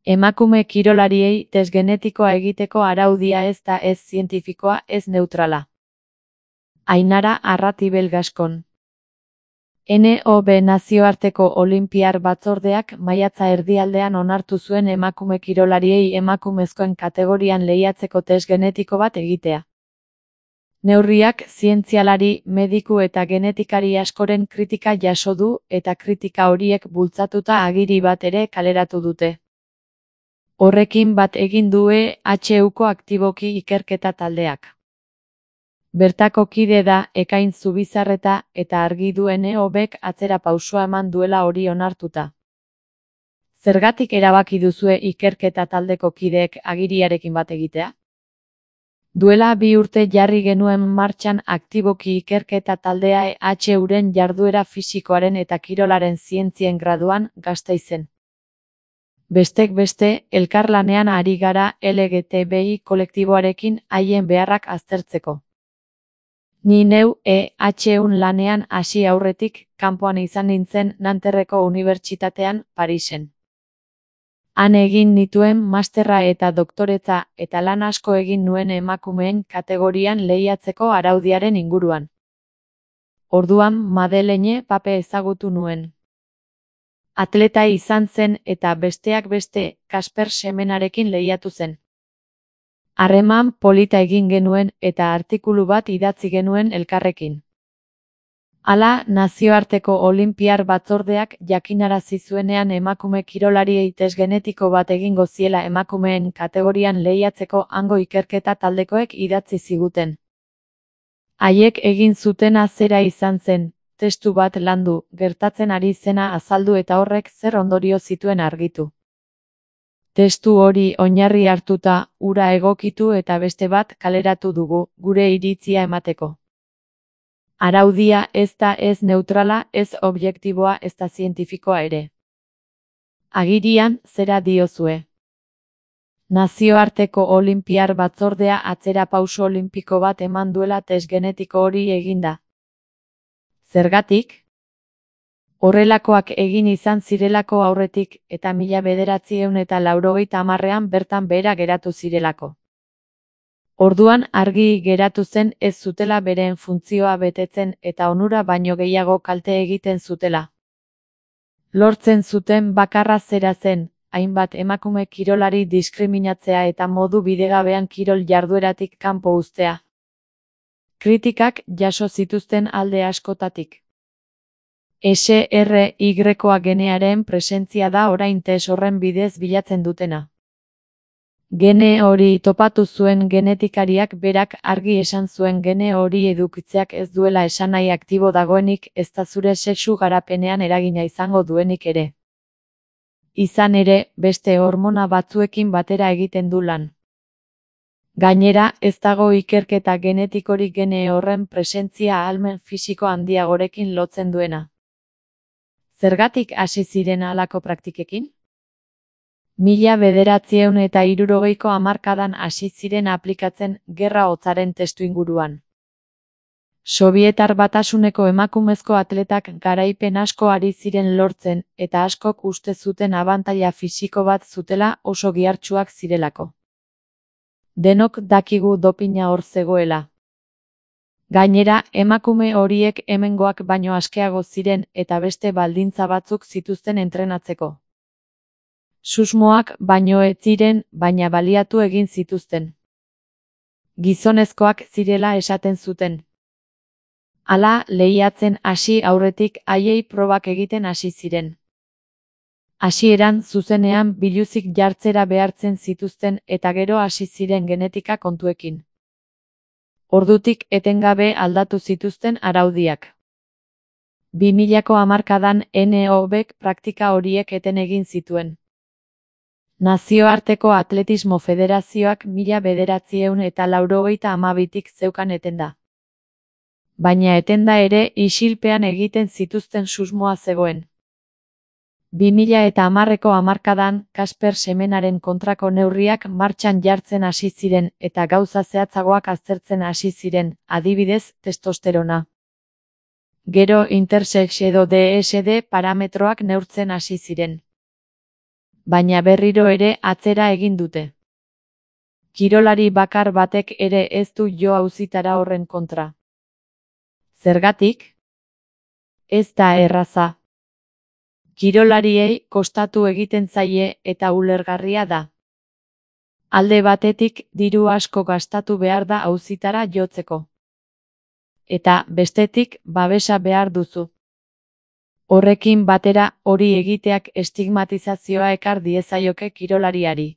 Emakume kirolariei test genetikoa egiteko araudia ez da ez zientifikoa ez neutrala. Ainara Arratibel Gaskon. NOB Nazioarteko Olinpiar Batzordeak maiatza erdialdean onartu zuen emakume kirolariei emakumezkoen kategorian lehiatzeko test genetiko bat egitea. Neurriak zientzialari, mediku eta genetikari askoren kritika jaso du eta kritika horiek bultzatuta agiri bat ere kaleratu dute. Horrekin bat egin du EHUko aktiboki ikerketa taldeak. Bertako kide da Ekain Zubizarreta eta argi du NOBek atzera pausua eman duela hori onartuta. Zergatik erabaki duzue ikerketa taldeko kideek agiriarekin bat egitea? Duela 2 urte jarri genuen martxan aktiboki ikerketa taldea EHUren jarduera fisikoaren eta kirolaren zientzien graduan Gasteizen. Bestek beste, elkarlanean ari gara LGTBI kolektiboarekin haien beharrak aztertzeko. Ni neu EHUn lanean hasi aurretik, kanpoan izan nintzen Nanterreko Unibertsitatean, Parisen. Han egin nituen masterra eta doktoretza eta lan asko egin nuen emakumeen kategorian lehiatzeko araudiaren inguruan. Orduan Madeleine Pape ezagutu nuen. Atleta izan zen eta besteak beste Kasper Semenarekin lehiatu zen. Harreman polita egin genuen eta artikulu bat idatzi genuen elkarrekin. Hala, Nazioarteko Olinpiar Batzordeak jakinarazi zuenean emakume kirolariei test genetiko bat egingo ziela emakumeen kategorian lehiatzeko hango ikerketa taldekoek idatzi ziguten. Haiek egin zutena zera izan zen, testu bat landu, gertatzen ari zena azaldu eta horrek zer ondorio zituen argitu. Testu hori oinarri hartuta, hura egokitu eta beste bat kaleratu dugu, gure iritzia emateko. Araudia ez da ez neutrala, ez objektiboa, ez da zientifikoa ere. Agirian, zera diozue. Nazioarteko Olinpiar Batzordea atzera pauso olimpiko bat eman duela test genetiko hori eginda. Zergatik? Horrelakoak egin izan zirelako aurretik eta 1990ean bertan behera geratu zirelako. Orduan argi geratu zen ez zutela beren funtzioa betetzen eta onura baino gehiago kalte egiten zutela. Lortzen zuten bakarra zera zen, hainbat emakume kirolari diskriminatzea eta modu bidegabean kirol jardueratik kanpo uztea. Kritikak jaso zituzten alde askotatik. SRY-a genearen presentzia da orain test horren bidez bilatzen dutena. Gene hori topatu zuen genetikariak berak argi esan zuen gene hori edukitzeak ez duela esanahi aktibo dagoenik ezta zure sexu garapenean eragina izango duenik ere. Izan ere, beste hormona batzuekin batera egiten du lan. Gainera, ez dago ikerketa genetikorik gene horren presentzia ahalmen fisiko handiagorekin lotzen duena. Zergatik hasi ziren halako praktikekin? 1960ko hamarkadan hasi ziren aplikatzen Gerra Hotzaren testuinguruan. Sobietar Batasuneko emakumezko atletak garaipen asko ari ziren lortzen eta askok uste zuten abantaila fisiko bat zutela oso gihartsuak zirelako. Denok dakigu dopina hor zegoela. Gainera, emakume horiek hemengoak baino askeago ziren eta beste baldintza batzuk zituzten entrenatzeko. Susmoak baino ez ziren, baina baliatu egin zituzten. Gizonezkoak zirela esaten zuten. Hala, lehiatzen hasi aurretik haiei probak egiten hasi ziren. Hasieran zuzenean biluzik jartzera behartzen zituzten eta gero hasi ziren genetika kontuekin. Ordutik etengabe aldatu zituzten araudiak. 2000ko hamarkadan NOBek praktika horiek eten egin zituen. Nazioarteko Atletismo Federazioak 1982tik zeukan etenda. Baina etenda ere isilpean egiten zituzten susmoa zegoen. 2010ko hamarkadan Kasper Semenaren kontrako neurriak martxan jartzen hasi ziren eta gauza zehatzagoak aztertzen hasi ziren, adibidez, testosterona. Gero intersex edo DSD parametroak neurtzen hasi ziren. baina berriro ere atzera egin dute. Kirolari bakar batek ere ez du jo auzitara horren kontra. Zergatik? Ez da erraza. Kirolariei kostatu egiten zaie eta ulergarria da. Alde batetik diru asko gastatu behar da auzitara jotzeko. Eta bestetik babesa behar duzu. Horrekin batera hori egiteak estigmatizazioa ekar diezaioke kirolariari.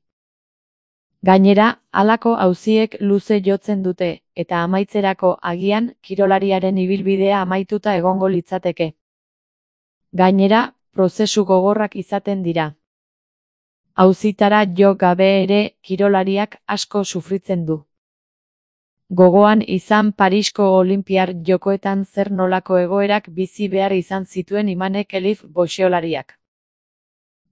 Gainera, halako auziek luze jotzen dute, eta amaitzerako agian kirolariaren ibilbidea amaituta egongo litzateke. Gainera, prozesu gogorrak izaten dira. Auzitara jo gabe ere kirolariak asko sufritzen du. Gogoan izan Parisko Olinpiar Jokoetan zer nolako egoerak bizi behar izan zituen Imanek Elif boxeolariak.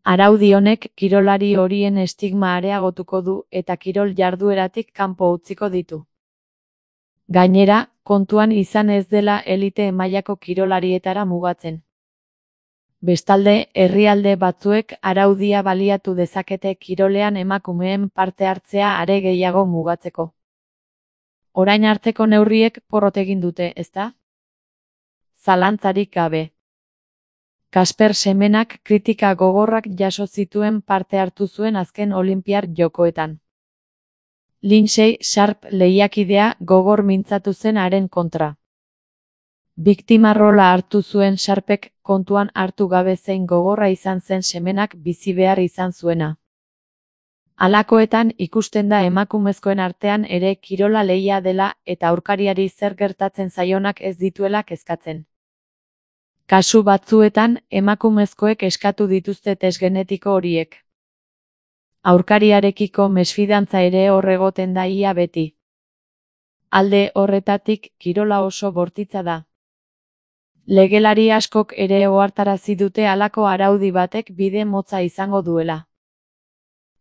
Araudi honek kirolari horien estigma areagotuko du eta kirol jardueratik kanpo utziko ditu. Gainera, kontuan izan ez dela elite mailako kirolarietara mugatzen. Bestalde, herrialde batzuek araudia baliatu dezakete kirolean emakumeen parte hartzea are gehiago mugatzeko. Orain arteko neurriek porrot egin dute, ezta? Zalantzarik gabe. Kasper Semenak kritika gogorrak jaso zituen parte hartu zuen azken Olinpiar Jokoetan. Lindsay Sharp lehiakidea gogor mintzatu zen haren kontra. Biktima rola hartu zuen Sharpek kontuan hartu gabe zein gogorra izan zen Semenak bizi behar izan zuena. Halakoetan ikusten da emakumezkoen artean ere kirola lehia dela eta aurkariari zer gertatzen zaionak ez dituela kezkatzen. Kasu batzuetan emakumezkoek eskatu dituzte test genetiko horiek. Aurkariarekiko mesfidantza ere hor egoten da ia beti. Alde horretatik kirola oso bortitza da. Legelari askok ere ohartarazi dute halako araudi batek bide motza izango duela.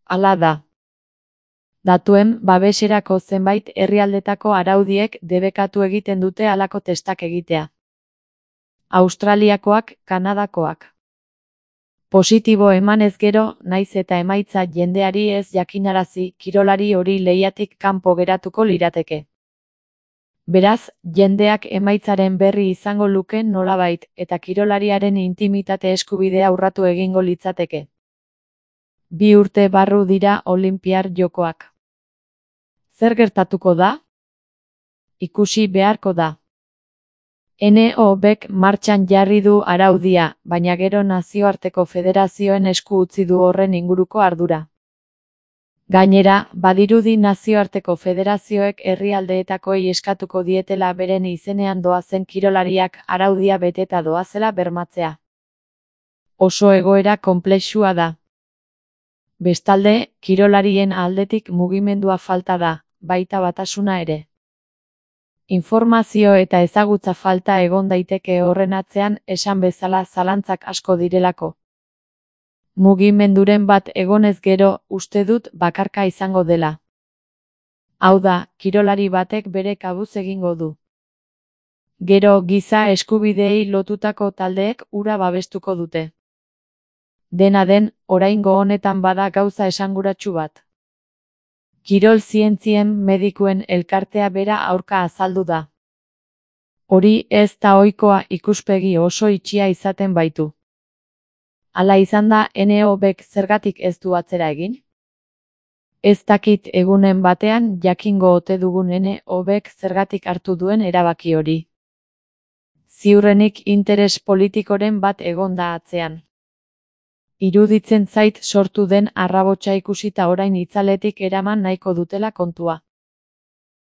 Hala da. Datuen babeserako zenbait herrialdetako araudiek debekatu egiten dute halako testak egitea. Australiakoak, Kanadakoak. Positibo emanez gero, naiz eta emaitza jendeari ez jakinarazi, kirolari hori lehiatik kanpo geratuko lirateke. Beraz, jendeak emaitzaren berri izango luke nolabait, eta kirolariaren intimitate eskubidea urratu egingo litzateke. 2 urte barru dira Olinpiar Jokoak. Zer gertatuko da? Ikusi beharko da. NOBek martxan jarri du araudia, baina gero nazioarteko federazioen esku utzi du horren inguruko ardura. Gainera, badirudi nazioarteko federazioek herrialdeetakoei eskatuko dietela beren izenean doazen kirolariak araudia beteta doazela bermatzea. Oso egoera konplexua da. Bestalde, kirolarien aldetik mugimendua falta da, baita batasuna ere. Informazio eta ezagutza falta egon daiteke horren atzean esan bezala zalantzak asko direlako. Mugimenduren bat egonez gero, uste dut bakarka izango dela. Hau da, kirolari batek bere kabuz egingo du. Gero giza eskubideei lotutako taldeek hura babestuko dute. Dena den, oraingo honetan bada gauza esanguratsu bat. Kirol zientzien medikuen elkartea bera aurka azaldu da. Hori ez da ohikoa ikuspegi oso itxia izaten baitu. Hala izan da NOBek zergatik ez du atzera egin? Ez dakit egunen batean jakingo ote dugun NOBek zergatik hartu duen erabaki hori. Ziurrenik interes politikoren bat egon da atzean. Iruditzen zait sortu den arrabotsa ikusita orain itzaletik eraman nahiko dutela kontua.